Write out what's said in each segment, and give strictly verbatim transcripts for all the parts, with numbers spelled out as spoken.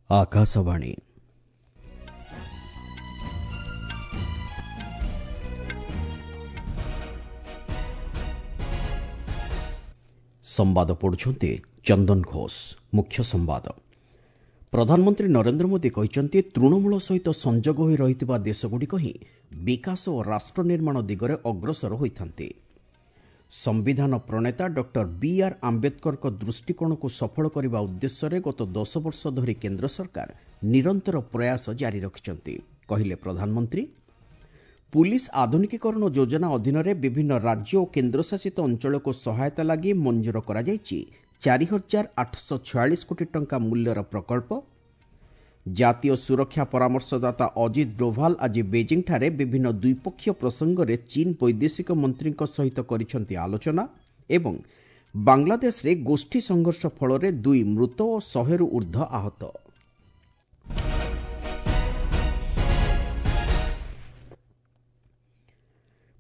ଆକାଶବାଣୀ। ସମ୍ବାଦ ପଢୁଛନ୍ତି ଚନ୍ଦନ ଘୋଷ। ମୁଖ୍ୟ ସମ୍ବାଦ। ପ୍ରଧାନମନ୍ତ୍ରୀ ନରେନ୍ଦ୍ର ମୋଦି କହିଛନ୍ତି, ତୃଣମୂଳ ସହିତ ସଂଯୋଗ ହୋଇ ରହିଥିବା ଦେଶଗୁଡ଼ିକ ହିଁ ବିକାଶ ଓ ରାଷ୍ଟ୍ର ନିର୍ମାଣ ଦିଗରେ ଅଗ୍ରସର ହୋଇଥାନ୍ତି। ସମ୍ବିଧାନ ପ୍ରଣେତା ଡକ୍ଟର ବି ଆର୍ ଆମ୍ବେଦକରଙ୍କ ଦୃଷ୍ଟିକୋଣକୁ ସଫଳ କରିବା ଉଦ୍ଦେଶ୍ୟରେ ଗତ ଦଶ ବର୍ଷ ଧରି କେନ୍ଦ୍ର ସରକାର ନିରନ୍ତର ପ୍ରୟାସ ଜାରି ରଖିଛନ୍ତି, କହିଲେ ପ୍ରଧାନମନ୍ତ୍ରୀ। ପୁଲିସ୍ ଆଧୁନିକୀକରଣ ଯୋଜନା ଅଧୀନରେ ବିଭିନ୍ନ ରାଜ୍ୟ ଓ କେନ୍ଦ୍ରଶାସିତ ଅଞ୍ଚଳକୁ ସହାୟତା ଲାଗି ମଞ୍ଜୁର କରାଯାଇଛି ଚାରି ହଜାର ଆଠଶହ ଛୟାଳିଶ କୋଟି ଟଙ୍କା ମୂଲ୍ୟର ପ୍ରକଳ୍ପ। ଜାତୀୟ ସୁରକ୍ଷା ପରାମର୍ଶଦାତା ଅଜିତ ଡୋଭାଲ ଆଜି ବେଜିଂଠାରେ ବିଭିନ୍ନ ଦ୍ୱିପକ୍ଷୀୟ ପ୍ରସଙ୍ଗରେ ଚୀନ୍ ବୈଦେଶିକ ମନ୍ତ୍ରୀଙ୍କ ସହିତ କରିଛନ୍ତି ଆଲୋଚନା। ଏବଂ ବାଂଲାଦେଶରେ ଗୋଷ୍ଠୀ ସଂଘର୍ଷ ଫଳରେ ଦୁଇ ମୃତ ଓ ଶହେରୁ ଉର୍ଦ୍ଧ୍ୱ ଆହତ।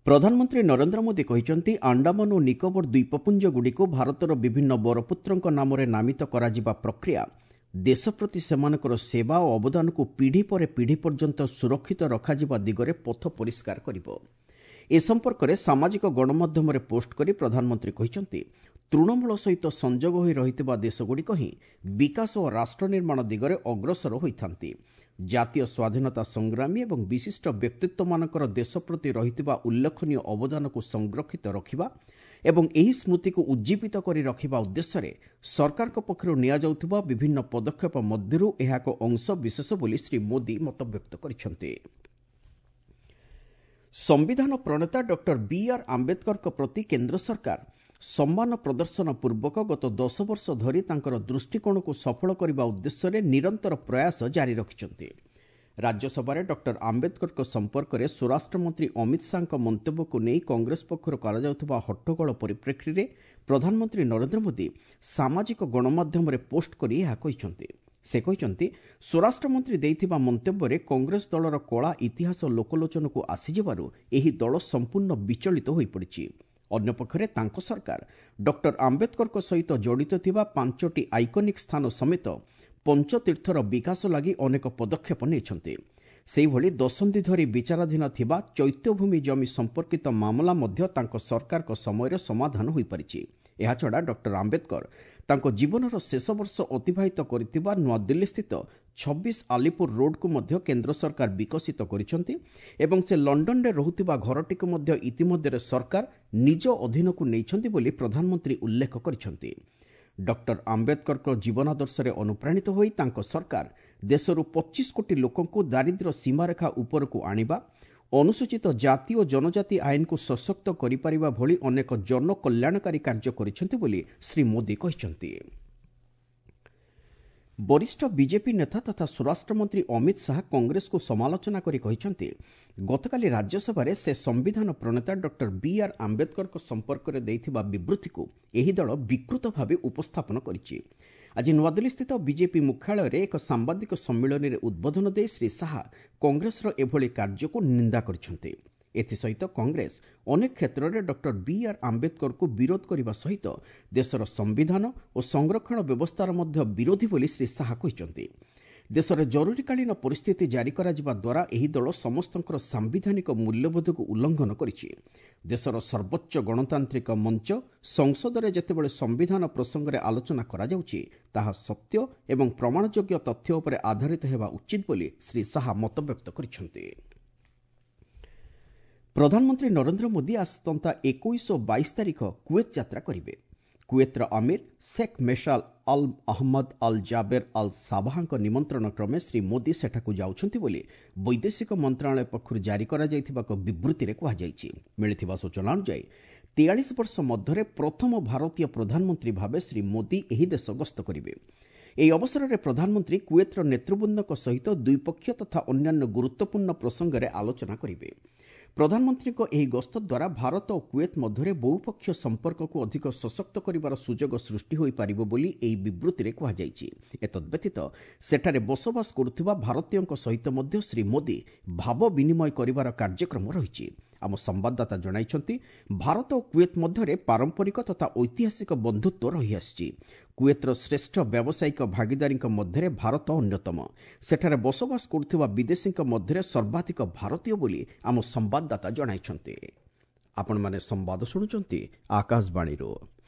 ପ୍ରଧାନମନ୍ତ୍ରୀ ନରେନ୍ଦ୍ର ମୋଦି କହିଛନ୍ତି, ଆଣ୍ଡାମାନ ଓ ନିକୋବର ଦ୍ୱୀପପୁଞ୍ଜଗୁଡ଼ିକୁ ଭାରତର ବିଭିନ୍ନ ବରପୁତ୍ରଙ୍କ ନାମରେ ନାମିତ କରାଯିବା ପ୍ରକ୍ରିୟା ଦେଶ ପ୍ରତି ସେମାନଙ୍କର ସେବା ଓ ଅବଦାନକୁ ପିଢ଼ି ପରେ ପିଢ଼ି ପର୍ଯ୍ୟନ୍ତ ସୁରକ୍ଷିତ ରଖାଯିବା ଦିଗରେ ପଥ ପରିଷ୍କାର କରିବ। ଏ ସମ୍ପର୍କରେ ସାମାଜିକ ଗଣମାଧ୍ୟମରେ ପୋଷ୍ଟ କରି ପ୍ରଧାନମନ୍ତ୍ରୀ କହିଛନ୍ତି, ତୃଣମୂଳ ସହିତ ସଂଯୋଗ ହୋଇ ରହିଥିବା ଦେଶଗୁଡ଼ିକ ହିଁ ବିକାଶ ଓ ରାଷ୍ଟ୍ର ନିର୍ମାଣ ଦିଗରେ ଅଗ୍ରସର ହୋଇଥାନ୍ତି। ଜାତୀୟ ସ୍ୱାଧୀନତା ସଂଗ୍ରାମୀ ଏବଂ ବିଶିଷ୍ଟ ବ୍ୟକ୍ତିତ୍ୱମାନଙ୍କର ଦେଶ ପ୍ରତି ରହିଥିବା ଉଲ୍ଲେଖନୀୟ ଅବଦାନକୁ ସଂରକ୍ଷିତ ରଖିବା ଏବଂ ଏହି ସ୍ମୃତିକୁ ଉଜ୍ଜୀବିତ କରି ରଖିବା ଉଦ୍ଦେଶ୍ୟରେ ସରକାରଙ୍କ ପକ୍ଷରୁ ନିଆଯାଉଥିବା ବିଭିନ୍ନ ପଦକ୍ଷେପ ମଧ୍ୟରୁ ଏହା ଏକ ଅଂଶବିଶେଷ ବୋଲି ଶ୍ରୀ ମୋଦି ମତବ୍ୟକ୍ତ କରିଛନ୍ତି। ସମ୍ବିଧାନ ପ୍ରଣେତା ଡକ୍ଟର ବି ଆର୍ ଆମ୍ବେଦକରଙ୍କ ପ୍ରତି କେନ୍ଦ୍ର ସରକାର ସମ୍ମାନ ପ୍ରଦର୍ଶନ ପୂର୍ବକ ଗତ ଦଶ ବର୍ଷ ଧରି ତାଙ୍କର ଦୃଷ୍ଟିକୋଣକୁ ସଫଳ କରିବା ଉଦ୍ଦେଶ୍ୟରେ ନିରନ୍ତର ପ୍ରୟାସ ଜାରି ରଖିଛନ୍ତି। ରାଜ୍ୟସଭାରେ ଡକ୍ଟର ଆମ୍ବେଦକରଙ୍କ ସମ୍ପର୍କରେ ସ୍ୱରାଷ୍ଟ୍ରମନ୍ତ୍ରୀ ଅମିତ ଶାହାଙ୍କ ମନ୍ତବ୍ୟକୁ ନେଇ କଂଗ୍ରେସ ପକ୍ଷରୁ କରାଯାଉଥିବା ହଟ୍ଟଗୋଳ ପରିପ୍ରେକ୍ଷୀରେ ପ୍ରଧାନମନ୍ତ୍ରୀ ନରେନ୍ଦ୍ର ମୋଦି ସାମାଜିକ ଗଣମାଧ୍ୟମରେ ପୋଷ୍ଟ କରି ଏହା କହିଛନ୍ତି। ସେ କହିଛନ୍ତି, ସ୍ୱରାଷ୍ଟ୍ରମନ୍ତ୍ରୀ ଦେଇଥିବା ମନ୍ତବ୍ୟରେ କଂଗ୍ରେସ ଦଳର କଳା ଇତିହାସ ଲୋକଲୋଚନକୁ ଆସିଯିବାରୁ ଏହି ଦଳ ସମ୍ପୂର୍ଣ୍ଣ ବିଚଳିତ ହୋଇପଡ଼ିଛି। ଅନ୍ୟପକ୍ଷରେ ତାଙ୍କ ସରକାର ଡକ୍ଟର ଆମ୍ବେଦକରଙ୍କ ସହିତ ଜଡ଼ିତ ଥିବା ପାଞ୍ଚଟି ଆଇକନିକ୍ ସ୍ଥାନ ସମେତ ପଞ୍ଚତୀର୍ଥର ବିକାଶ ଲାଗି ଅନେକ ପଦକ୍ଷେପ ନେଇଛନ୍ତି। ସେହିଭଳି ଦଶନ୍ଧି ଧରି ବିଚାରାଧୀନ ଥିବା ଚୈତ୍ୟଭୂମି ଜମି ସମ୍ପର୍କିତ ମାମଲା ମଧ୍ୟ ତାଙ୍କ ସରକାରଙ୍କ ସମୟରେ ସମାଧାନ ହୋଇପାରିଛି। ଏହାଛଡ଼ା ଡକ୍ଟର ଆମ୍ବେଦକର ତାଙ୍କ ଜୀବନର ଶେଷ ବର୍ଷ ଅତିବାହିତ କରିଥିବା ନୂଆଦିଲ୍ଲୀସ୍ଥିତ ଛବିଶ ଆଲିପୁର ରୋଡ୍କୁ ମଧ୍ୟ କେନ୍ଦ୍ର ସରକାର ବିକଶିତ କରିଛନ୍ତି ଏବଂ ସେ ଲଣ୍ଡନରେ ରହୁଥିବା ଘରଟିକୁ ମଧ୍ୟ ଇତିମଧ୍ୟରେ ସରକାର ନିଜ ଅଧୀନକୁ ନେଇଛନ୍ତି ବୋଲି ପ୍ରଧାନମନ୍ତ୍ରୀ ଉଲ୍ଲେଖ କରିଛନ୍ତି। ଡକ୍ଟର ଆମ୍ବେଦକରଙ୍କ ଜୀବନାଦର୍ଶରେ ଅନୁପ୍ରାଣିତ ହୋଇ ତାଙ୍କ ସରକାର ଦେଶରୁ ପଚିଶ କୋଟି ଲୋକଙ୍କୁ ଦାରିଦ୍ର୍ୟ ସୀମାରେଖା ଉପରକୁ ଆଣିବା, ଅନୁସୂଚିତ ଜାତି ଓ ଜନଜାତି ଆଇନକୁ ସଶକ୍ତ କରିପାରିବା ଭଳି ଅନେକ ଜନକଲ୍ୟାଣକାରୀ କାର୍ଯ୍ୟ କରିଛନ୍ତି ବୋଲି ଶ୍ରୀ ମୋଦି କହିଛନ୍ତି। ବରିଷ୍ଠ ବିଜେପି ନେତା ତଥା ସ୍ୱରାଷ୍ଟ୍ରମନ୍ତ୍ରୀ ଅମିତ ଶାହା କଂଗ୍ରେସକୁ ସମାଲୋଚନା କରି କହିଛନ୍ତି, ଗତକାଲି ରାଜ୍ୟସଭାରେ ସେ ସମ୍ବିଧାନ ପ୍ରଣେତା ଡକ୍ଟର ବି ଆର୍ ଆମ୍ବେଦକରଙ୍କ ସମ୍ପର୍କରେ ଦେଇଥିବା ବିବୃତ୍ତିକୁ ଏହି ଦଳ ବିକୃତ ଭାବେ ଉପସ୍ଥାପନ କରିଛି। ଆଜି ନୂଆଦିଲ୍ଲୀସ୍ଥିତ ବିଜେପି ମୁଖ୍ୟାଳୟରେ ଏକ ସାମ୍ବାଦିକ ସମ୍ମିଳନୀରେ ଉଦ୍ବୋଧନ ଦେଇ ଶ୍ରୀ ଶାହା କଂଗ୍ରେସର ଏଭଳି କାର୍ଯ୍ୟକୁ ନିନ୍ଦା କରିଛନ୍ତି। ଏଥିସହିତ କଂଗ୍ରେସ ଅନେକ କ୍ଷେତ୍ରରେ ଡକ୍ଟର ବି ଆର୍ ଆମ୍ବେଦକରଙ୍କୁ ବିରୋଧ କରିବା ସହିତ ଦେଶର ସମ୍ବିଧାନ ଓ ସଂରକ୍ଷଣ ବ୍ୟବସ୍ଥାର ମଧ୍ୟ ବିରୋଧୀ ବୋଲି ଶ୍ରୀ ଶାହା କହିଛନ୍ତି। ଦେଶରେ ଜରୁରୀକାଳୀନ ପରିସ୍ଥିତି ଜାରି କରାଯିବା ଦ୍ୱାରା ଏହି ଦଳ ସମସ୍ତଙ୍କର ସାମ୍ବିଧାନିକ ମୂଲ୍ୟବୋଧକୁ ଉଲ୍ଲଂଘନ କରିଛି। ଦେଶର ସର୍ବୋଚ୍ଚ ଗଣତାନ୍ତ୍ରିକ ମଞ୍ଚ ସଂସଦରେ ଯେତେବେଳେ ସମ୍ବିଧାନ ପ୍ରସଙ୍ଗରେ ଆଲୋଚନା କରାଯାଉଛି, ତାହା ସତ୍ୟ ଏବଂ ପ୍ରମାଣଯୋଗ୍ୟ ତଥ୍ୟ ଉପରେ ଆଧାରିତ ହେବା ଉଚିତ ବୋଲି ଶ୍ରୀ ଶାହା ମତବ୍ୟକ୍ତ କରିଛନ୍ତି। ପ୍ରଧାନମନ୍ତ୍ରୀ ନରେନ୍ଦ୍ର ମୋଦି ଆସନ୍ତା ଏକୋଇଶ ଓ ବାଇଶ ତାରିଖ କୁଏତ ଯାତ୍ରା କରିବେ। କୁଏତର ଅମୀର Sheikh Meshal Al Ahmad Al Jaber Al ସାବାହାଙ୍କ ନିମନ୍ତ୍ରଣ କ୍ରମେ ଶ୍ରୀ ମୋଦି ସେଠାକୁ ଯାଉଛନ୍ତି ବୋଲି ବୈଦେଶିକ ମନ୍ତ୍ରଣାଳୟ ପକ୍ଷରୁ ଜାରି କରାଯାଇଥିବା ଏକ ବିବୃତ୍ତିରେ କୁହାଯାଇଛି। ମିଳିଥିବା ସୂଚନା ଅନୁଯାୟୀ ତେୟାଳିଶ ବର୍ଷ ମଧ୍ୟରେ ପ୍ରଥମ ଭାରତୀୟ ପ୍ରଧାନମନ୍ତ୍ରୀ ଭାବେ ଶ୍ରୀ ମୋଦି ଏହି ଦେଶ ଗସ୍ତ କରିବେ। ଏହି ଅବସରରେ ପ୍ରଧାନମନ୍ତ୍ରୀ କୁଏତର ନେତୃବୃନ୍ଦଙ୍କ ସହିତ ଦ୍ୱିପକ୍ଷୀୟ ତଥା ଅନ୍ୟାନ୍ୟ ଗୁରୁତ୍ୱପୂର୍ଣ୍ଣ ପ୍ରସଙ୍ଗରେ ଆଲୋଚନା କରିବେ। ପ୍ରଧାନମନ୍ତ୍ରୀଙ୍କ ଏହି ଗସ୍ତ ଦ୍ୱାରା ଭାରତ ଓ କୁଏତ ମଧ୍ୟରେ ବହୁପକ୍ଷୀୟ ସମ୍ପର୍କକୁ ଅଧିକ ସଶକ୍ତ କରିବାର ସୁଯୋଗ ସୃଷ୍ଟି ହୋଇପାରିବ ବୋଲି ଏହି ବିବୃତ୍ତିରେ କୁହାଯାଇଛି। ଏତଦ୍ବ୍ୟତୀତ ସେଠାରେ ବସବାସ କରୁଥିବା ଭାରତୀୟଙ୍କ ସହିତ ମଧ୍ୟ ଶ୍ରୀ ମୋଦି ଭାବ ବିନିମୟ କରିବାର କାର୍ଯ୍ୟକ୍ରମ ରହିଛି। ଆମ ସମ୍ବାଦଦାତା ଜଣାଇଛନ୍ତି, ଭାରତ ଓ କୁଏତ ମଧ୍ୟରେ ପାରମ୍ପରିକ ତଥା ଐତିହାସିକ ବନ୍ଧୁତ୍ୱ ରହିଆସିଛି। କୁଏତ୍ର ଶ୍ରେଷ୍ଠ ବ୍ୟାବସାୟିକ ଭାଗିଦାରୀଙ୍କ ମଧ୍ୟରେ ଭାରତ ଅନ୍ୟତମ। ସେଠାରେ ବସବାସ କରୁଥିବା ବିଦେଶୀଙ୍କ ମଧ୍ୟରେ ସର୍ବାଧିକ ଭାରତୀୟ ବୋଲି ଆମ ସମ୍ବାଦଦାତା ଜଣାଇଛନ୍ତି। ଆପଣମାନେ ସମ୍ବାଦ ଶୁଣୁଛନ୍ତି ଆକାଶବାଣୀରୁ।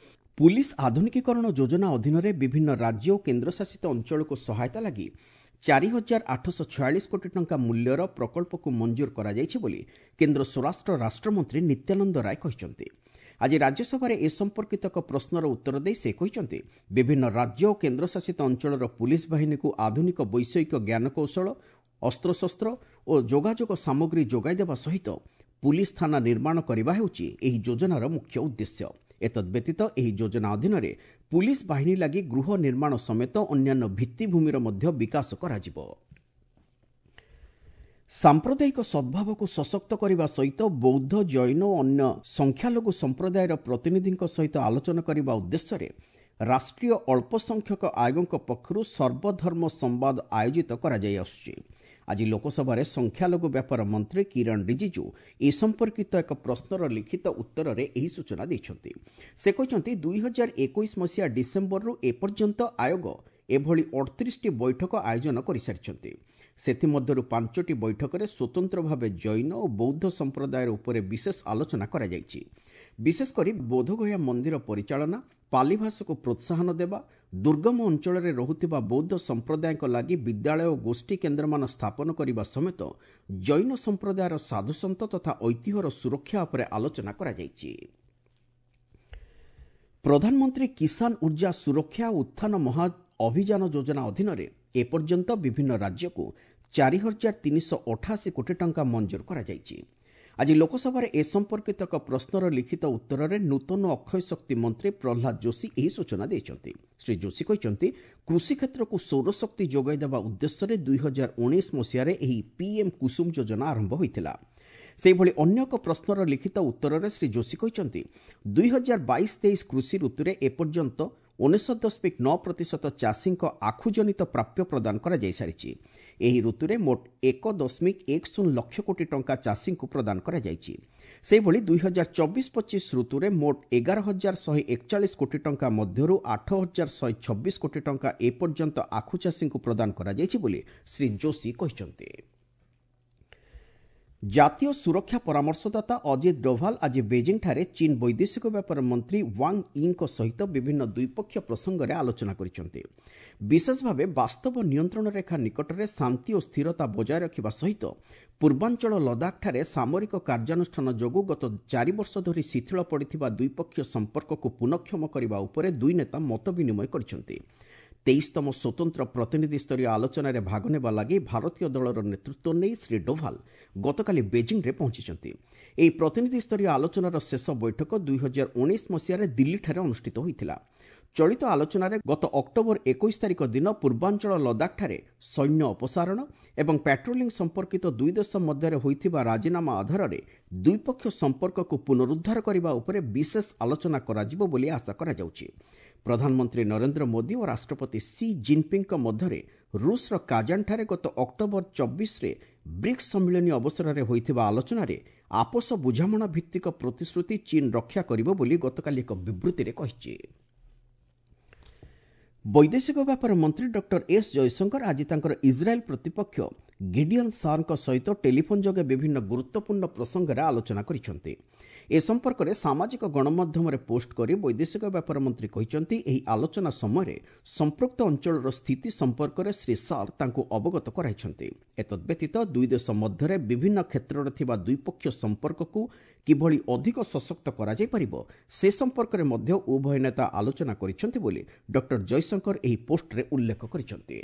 ପୁଲିସ ଆଧୁନିକୀକରଣ ଯୋଜନା ଅଧୀନରେ ବିଭିନ୍ନ ରାଜ୍ୟ ଓ କେନ୍ଦ୍ରଶାସିତ ଅଞ୍ଚଳକୁ ସହାୟତା ଲାଗି ଚାରି ହଜାର ଆଠଶହ ଛୟାଳିଶ କୋଟି ଟଙ୍କା ମୂଲ୍ୟର ପ୍ରକଳ୍ପକୁ ମଞ୍ଜୁର କରାଯାଇଛି ବୋଲି କେନ୍ଦ୍ର ସ୍ୱରାଷ୍ଟ୍ର ରାଷ୍ଟ୍ରମନ୍ତ୍ରୀ ନିତ୍ୟାନନ୍ଦ ରାୟ କହିଛନ୍ତି। ଆଜି ରାଜ୍ୟସଭାରେ ଏ ସମ୍ପର୍କିତ ଏକ ପ୍ରଶ୍ନର ଉତ୍ତର ଦେଇ ସେ କହିଛନ୍ତି, ବିଭିନ୍ନ ରାଜ୍ୟ ଓ କେନ୍ଦ୍ରଶାସିତ ଅଞ୍ଚଳର ପୁଲିସ ବାହିନୀକୁ ଆଧୁନିକ ବୈଷୟିକ ଜ୍ଞାନକୌଶଳ, ଅସ୍ତ୍ରଶସ୍ତ୍ର ଓ ଯୋଗାଯୋଗ ସାମଗ୍ରୀ ଯୋଗାଇ ଦେବା ସହିତ ପୁଲିସ ଥାନା ନିର୍ମାଣ କରିବା ହେଉଛି ଏହି ଯୋଜନାର ମୁଖ୍ୟ ଉଦ୍ଦେଶ୍ୟ। ଏତଦ୍ବ୍ୟତୀତ ଏହି ଯୋଜନା ଅଧୀନରେ ପୁଲିସ ବାହିନୀ ଲାଗି ଗୃହ ନିର୍ମାଣ ସମେତ ଅନ୍ୟାନ୍ୟ ଭିତ୍ତିଭୂମିର ମଧ୍ୟ ବିକାଶ କରାଯିବ। ସାମ୍ପ୍ରଦାୟିକ ସଦ୍ଭାବକୁ ସଶକ୍ତ କରିବା ସହିତ ବୌଦ୍ଧ, ଜୈନ ଓ ଅନ୍ୟ ସଂଖ୍ୟାଲଘୁ ସମ୍ପ୍ରଦାୟର ପ୍ରତିନିଧିଙ୍କ ସହିତ ଆଲୋଚନା କରିବା ଉଦ୍ଦେଶ୍ୟରେ ରାଷ୍ଟ୍ରୀୟ ଅଳ୍ପସଂଖ୍ୟକ ଆୟୋଗଙ୍କ ପକ୍ଷରୁ ସର୍ବଧର୍ମ ସମ୍ବାଦ ଆୟୋଜିତ କରାଯାଇ ଆସୁଛି। ଆଜି ଲୋକସଭାରେ ସଂଖ୍ୟାଲଘୁ ବ୍ୟାପାର ମନ୍ତ୍ରୀ କିରଣ ରିଜିଜୁ ଏ ସମ୍ପର୍କିତ ଏକ ପ୍ରଶ୍ନର ଲିଖିତ ଉତ୍ତରରେ ଏହି ସୂଚନା ଦେଇଛନ୍ତି। ସେ କହିଛନ୍ତି, ଦୁଇ ହଜାର ଏକୋଇଶ ମସିହା ଡିସେମ୍ବରରୁ ଏପର୍ଯ୍ୟନ୍ତ ଆୟୋଗ ଏଭଳି ଅଠତିରିଶଟି ବୈଠକ ଆୟୋଜନ କରିସାରିଛନ୍ତି। ସେଥିମଧ୍ୟରୁ ପାଞ୍ଚଟି ବୈଠକରେ ସ୍ୱତନ୍ତ୍ର ଭାବେ ଜୈନ ଓ ବୌଦ୍ଧ ସମ୍ପ୍ରଦାୟର ଉପରେ ବିଶେଷ ଆଲୋଚନା କରାଯାଇଛି। ବିଶେଷ କରି ବୋଧଗୟା ମନ୍ଦିର ପରିଚାଳନା, ପାଲି ଭାଷାକୁ ପ୍ରୋତ୍ସାହନ ଦେବା, ଦୁର୍ଗମ ଅଞ୍ଚଳରେ ରହୁଥିବା ବୌଦ୍ଧ ସମ୍ପ୍ରଦାୟଙ୍କ ଲାଗି ବିଦ୍ୟାଳୟ ଓ ଗୋଷ୍ଠୀ କେନ୍ଦ୍ରମାନ ସ୍ଥାପନ କରିବା ସମେତ ଜୈନ ସମ୍ପ୍ରଦାୟର ସାଧୁସନ୍ଥ ତଥା ଐତିହ୍ୟର ସୁରକ୍ଷା ଉପରେ ଆଲୋଚନା କରାଯାଇଛି। ପ୍ରଧାନମନ୍ତ୍ରୀ କିଷାନ ଉର୍ଜା ସୁରକ୍ଷା ଓ ଉତ୍ଥାନ ମହା ଅଭିଯାନ ଯୋଜନା ଅଧୀନରେ ଏପର୍ଯ୍ୟନ୍ତ ବିଭିନ୍ନ ରାଜ୍ୟକୁ ଚାରି ହଜାର ତିନିଶହ ଅଠାଅଶୀ କୋଟି ଟଙ୍କା ମଞ୍ଜୁର କରାଯାଇଛି। ଆଜି ଲୋକସଭାରେ ଏ ସମ୍ପର୍କିତ ଏକ ପ୍ରଶ୍ନର ଲିଖିତ ଉତ୍ତରରେ ନୂତନ ଅକ୍ଷୟ ଶକ୍ତି ମନ୍ତ୍ରୀ ପ୍ରହ୍ଲାଦ ଯୋଶୀ ଏହି ସୂଚନା ଦେଇଛନ୍ତି। ଶ୍ରୀ ଯୋଶୀ କହିଛନ୍ତି, କୃଷି କ୍ଷେତ୍ରକୁ ସୌରଶକ୍ତି ଯୋଗାଇ ଦେବା ଉଦ୍ଦେଶ୍ୟରେ ଦୁଇ ହଜାର ଉଣେଇଶ ମସିହାରେ ଏହି ପିଏମ୍ କୁସୁମ ଯୋଜନା ଆରମ୍ଭ ହୋଇଥିଲା। ସେହିଭଳି ଅନ୍ୟ ଏକ ପ୍ରଶ୍ନର ଲିଖିତ ଉତ୍ତରରେ ଶ୍ରୀ ଯୋଶୀ କହିଛନ୍ତି, ଦୁଇ ହଜାର ବାଇଶ ତେଇଶ କୃଷି ଋତୁରେ ଏପର୍ଯ୍ୟନ୍ତ ଉଣେଇଶ ଦଶମିକ ନଅ ପ୍ରତିଶତ ଚାଷୀଙ୍କ ଆଖୁଜନିତ ପ୍ରାପ୍ୟ ପ୍ରଦାନ କରାଯାଇସାରିଛି। ଏହି ଋତୁରେ ମୋଟ ଏକ ଦଶମିକ ଏକ ଶୂନ ଲକ୍ଷ କୋଟି ଟଙ୍କା ଚାଷୀଙ୍କୁ ପ୍ରଦାନ କରାଯାଇଛି। ସେହିଭଳି ଦୁଇ ହଜାର ଚବିଶ ପଚିଶ ଋତୁରେ ମୋଟ ଏଗାର ହଜାର ଶହେ ଏକଚାଳିଶ କୋଟି ଟଙ୍କା ମଧ୍ୟରୁ ଆଠ ହଜାର ଶହେ ଛବିଶ କୋଟି ଟଙ୍କା ଏପର୍ଯ୍ୟନ୍ତ ଆଖୁ ଚାଷୀଙ୍କୁ ପ୍ରଦାନ କରାଯାଇଛି ବୋଲି ଶ୍ରୀ ଯୋଶୀ କହିଛନ୍ତି। ଜାତୀୟ ସୁରକ୍ଷା ପରାମର୍ଶଦାତା ଅଜିତ ଡୋଭାଲ ଆଜି ବେଜିଂଠାରେ ଚୀନ୍ ବୈଦେଶିକ ବ୍ୟାପାର ମନ୍ତ୍ରୀ ୱାଙ୍ଗ ୟିଙ୍କ ସହିତ ବିଭିନ୍ନ ଦ୍ୱିପକ୍ଷୀୟ ପ୍ରସଙ୍ଗରେ ଆଲୋଚନା କରିଛନ୍ତି। ବିଶେଷ ଭାବେ ବାସ୍ତବ ନିୟନ୍ତ୍ରଣ ରେଖା ନିକଟରେ ଶାନ୍ତି ଓ ସ୍ଥିରତା ବଜାୟ ରଖିବା ସହିତ ପୂର୍ବାଞ୍ଚଳ ଲଦାଖଠାରେ ସାମରିକ କାର୍ଯ୍ୟାନୁଷ୍ଠାନ ଯୋଗୁଁ ଗତ ଚାରି ବର୍ଷ ଧରି ଶିଥିଳ ପଡ଼ିଥିବା ଦ୍ୱିପକ୍ଷୀୟ ସମ୍ପର୍କକୁ ପୁନଃକ୍ଷମ କରିବା ଉପରେ ଦୁଇ ନେତା ମତ ବିନିମୟ କରିଛନ୍ତି। ତେଇଶତମ ସ୍ୱତନ୍ତ୍ର ପ୍ରତିନିଧିସ୍ତରୀୟ ଆଲୋଚନାରେ ଭାଗ ନେବା ଲାଗି ଭାରତୀୟ ଦଳର ନେତୃତ୍ୱ ନେଇ ଶ୍ରୀ ଡୋଭାଲ ଗତକାଲି ବେଜିଂରେ ପହଞ୍ଚିଛନ୍ତି। ଏହି ପ୍ରତିନିଧିସ୍ତରୀୟ ଆଲୋଚନାର ଶେଷ ବୈଠକ ଦୁଇ ହଜାର ଉଣେଇଶ ମସିହାରେ ଦିଲ୍ଲୀଠାରେ ଅନୁଷ୍ଠିତ ହୋଇଥିଲା। ଚଳିତ ଆଲୋଚନାରେ ଗତ ଅକ୍ଟୋବର ଏକୋଇଶ ତାରିଖ ଦିନ ପୂର୍ବାଞ୍ଚଳ ଲଦାଖଠାରେ ସୈନ୍ୟ ଅପସାରଣ ଏବଂ ପାଟ୍ରୋଲିଂ ସମ୍ପର୍କିତ ଦୁଇ ଦେଶ ମଧ୍ୟରେ ହୋଇଥିବା ରାଜିନାମା ଆଧାରରେ ଦ୍ୱିପକ୍ଷୀୟ ସମ୍ପର୍କକୁ ପୁନରୁଦ୍ଧାର କରିବା ଉପରେ ବିଶେଷ ଆଲୋଚନା କରାଯିବ ବୋଲି ଆଶା କରାଯାଉଛି। ପ୍ରଧାନମନ୍ତ୍ରୀ ନରେନ୍ଦ୍ର ମୋଦି ଓ ରାଷ୍ଟ୍ରପତି ସି ଜିନ୍ପିଙ୍ଗଙ୍କ ମଧ୍ୟରେ ରୁଷର କାଜାନଠାରେ ଗତ ଅକ୍ଟୋବର ଚବିଶରେ ବ୍ରିକ୍ସ ସମ୍ମିଳନୀ ଅବସରରେ ହୋଇଥିବା ଆଲୋଚନାରେ ଆପୋଷ ବୁଝାମଣା ଭିତ୍ତିକ ପ୍ରତିଶ୍ରୁତି ଚୀନ୍ ରକ୍ଷା କରିବ ବୋଲି ଗତକାଲି ଏକ ବିବୃତ୍ତିରେ କହିଛି। ବୈଦେଶିକ ବ୍ୟାପାର ମନ୍ତ୍ରୀ ଡକ୍ଟର ଏସ୍ ଜୟଶଙ୍କର ଆଜି ତାଙ୍କର ଇସ୍ରାଏଲ୍ ପ୍ରତିପକ୍ଷ ଗିଡିଅନ୍ ସାର୍ଙ୍କ ସହିତ ଟେଲିଫୋନ୍ ଯୋଗେ ବିଭିନ୍ନ ଗୁରୁତ୍ୱପୂର୍ଣ୍ଣ ପ୍ରସଙ୍ଗରେ ଆଲୋଚନା କରିଛନ୍ତି। ଏ ସମ୍ପର୍କରେ ସାମାଜିକ ଗଣମାଧ୍ୟମରେ ପୋଷ୍ଟ କରି ବୈଦେଶିକ ବ୍ୟାପାର ମନ୍ତ୍ରୀ କହିଛନ୍ତି, ଏହି ଆଲୋଚନା ସମୟରେ ସମ୍ପୃକ୍ତ ଅଞ୍ଚଳର ସ୍ଥିତି ସମ୍ପର୍କରେ ଶ୍ରୀ ସାର୍ ତାଙ୍କୁ ଅବଗତ କରାଇଛନ୍ତି। ଏତଦ୍ବ୍ୟତୀତ ଦୁଇ ଦେଶ ମଧ୍ୟରେ ବିଭିନ୍ନ କ୍ଷେତ୍ରରେ ଥିବା ଦ୍ୱିପକ୍ଷୀୟ ସମ୍ପର୍କକୁ କିଭଳି ଅଧିକ ସଶକ୍ତ କରାଯାଇପାରିବ ସେ ସମ୍ପର୍କରେ ମଧ୍ୟ ଉଭୟ ନେତା ଆଲୋଚନା କରିଛନ୍ତି ବୋଲି ଡକ୍ଟର ଜୟଶଙ୍କର ଏହି ପୋଷ୍ଟରେ ଉଲ୍ଲେଖ କରିଛନ୍ତି।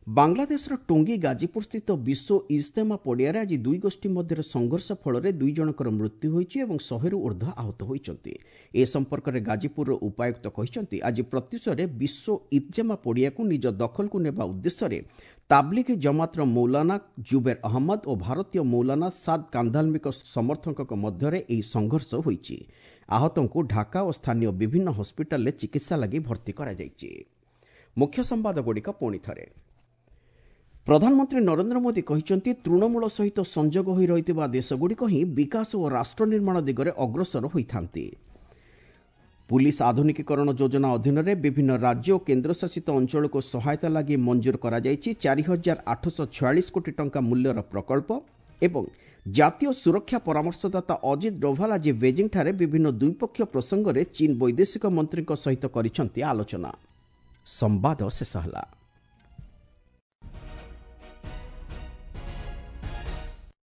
ବାଂଲାଦେଶର ଟୁଙ୍ଗି ଗାଜିପୁରସ୍ଥିତ ବିଶ୍ୱ ଇଜତେମା ପଡ଼ିଆରେ ଆଜି ଦୁଇ ଗୋଷ୍ଠୀ ମଧ୍ୟରେ ସଂଘର୍ଷ ଫଳରେ ଦୁଇ ଜଣଙ୍କର ମୃତ୍ୟୁ ହୋଇଛି ଏବଂ ଶହେରୁ ଉର୍ଦ୍ଧ୍ୱ ଆହତ ହୋଇଛନ୍ତି। ଏ ସମ୍ପର୍କରେ ଗାଜିପୁରର ଉପାୟୁକ୍ତ କହିଛନ୍ତି, ଆଜି ପ୍ରତ୍ୟୁଷରେ ବିଶ୍ୱ ଇଜତେମା ପଡ଼ିଆକୁ ନିଜ ଦଖଲକୁ ନେବା ଉଦ୍ଦେଶ୍ୟରେ ତାବଲିଗି ଜମାତର ମୌଲାନା ଜୁବେର ଅହମ୍ମଦ ଓ ଭାରତୀୟ ମୌଲାନା ସାଦ୍ କାନ୍ଧାଲମିଙ୍କ ସମର୍ଥକଙ୍କ ମଧ୍ୟରେ ଏହି ସଂଘର୍ଷ ହୋଇଛି। ଆହତଙ୍କୁ ଢାକା ଓ ସ୍ଥାନୀୟ ବିଭିନ୍ନ ହସ୍ପିଟାଲରେ ଚିକିତ୍ସା ଲାଗି ଭର୍ତ୍ତି କରାଯାଇଛି। ମୁଖ୍ୟ ସମ୍ବାଦଗୁଡ଼ିକ ପୁଣି ଥରେ। ପ୍ରଧାନମନ୍ତ୍ରୀ ନରେନ୍ଦ୍ର ମୋଦି କହିଛନ୍ତି, ତୃଣମୂଳ ସହିତ ସଂଯୋଗ ହୋଇ ରହିଥିବା ଦେଶଗୁଡ଼ିକ ହିଁ ବିକାଶ ଓ ରାଷ୍ଟ୍ର ନିର୍ମାଣ ଦିଗରେ ଅଗ୍ରସର ହୋଇଥାନ୍ତି। ପୁଲିସ୍ ଆଧୁନିକୀକରଣ ଯୋଜନା ଅଧୀନରେ ବିଭିନ୍ନ ରାଜ୍ୟ ଓ କେନ୍ଦ୍ରଶାସିତ ଅଞ୍ଚଳକୁ ସହାୟତା ଲାଗି ମଞ୍ଜୁର କରାଯାଇଛି ଚାରି ହଜାର ଆଠଶହ ଛୟାଳିଶ କୋଟି ଟଙ୍କା ମୂଲ୍ୟର ପ୍ରକଳ୍ପ ଏବଂ ଜାତୀୟ ସୁରକ୍ଷା ପରାମର୍ଶଦାତା ଅଜିତ ଡୋଭାଲ ଆଜି ବେଜିଂଠାରେ ବିଭିନ୍ନ ଦ୍ୱିପକ୍ଷୀୟ ପ୍ରସଙ୍ଗରେ ଚୀନ୍ ବୈଦେଶିକ ମନ୍ତ୍ରୀଙ୍କ ସହିତ କରିଛନ୍ତି ଆଲୋଚନା। ସମ୍ବାଦ ଶେଷ ହେଲା।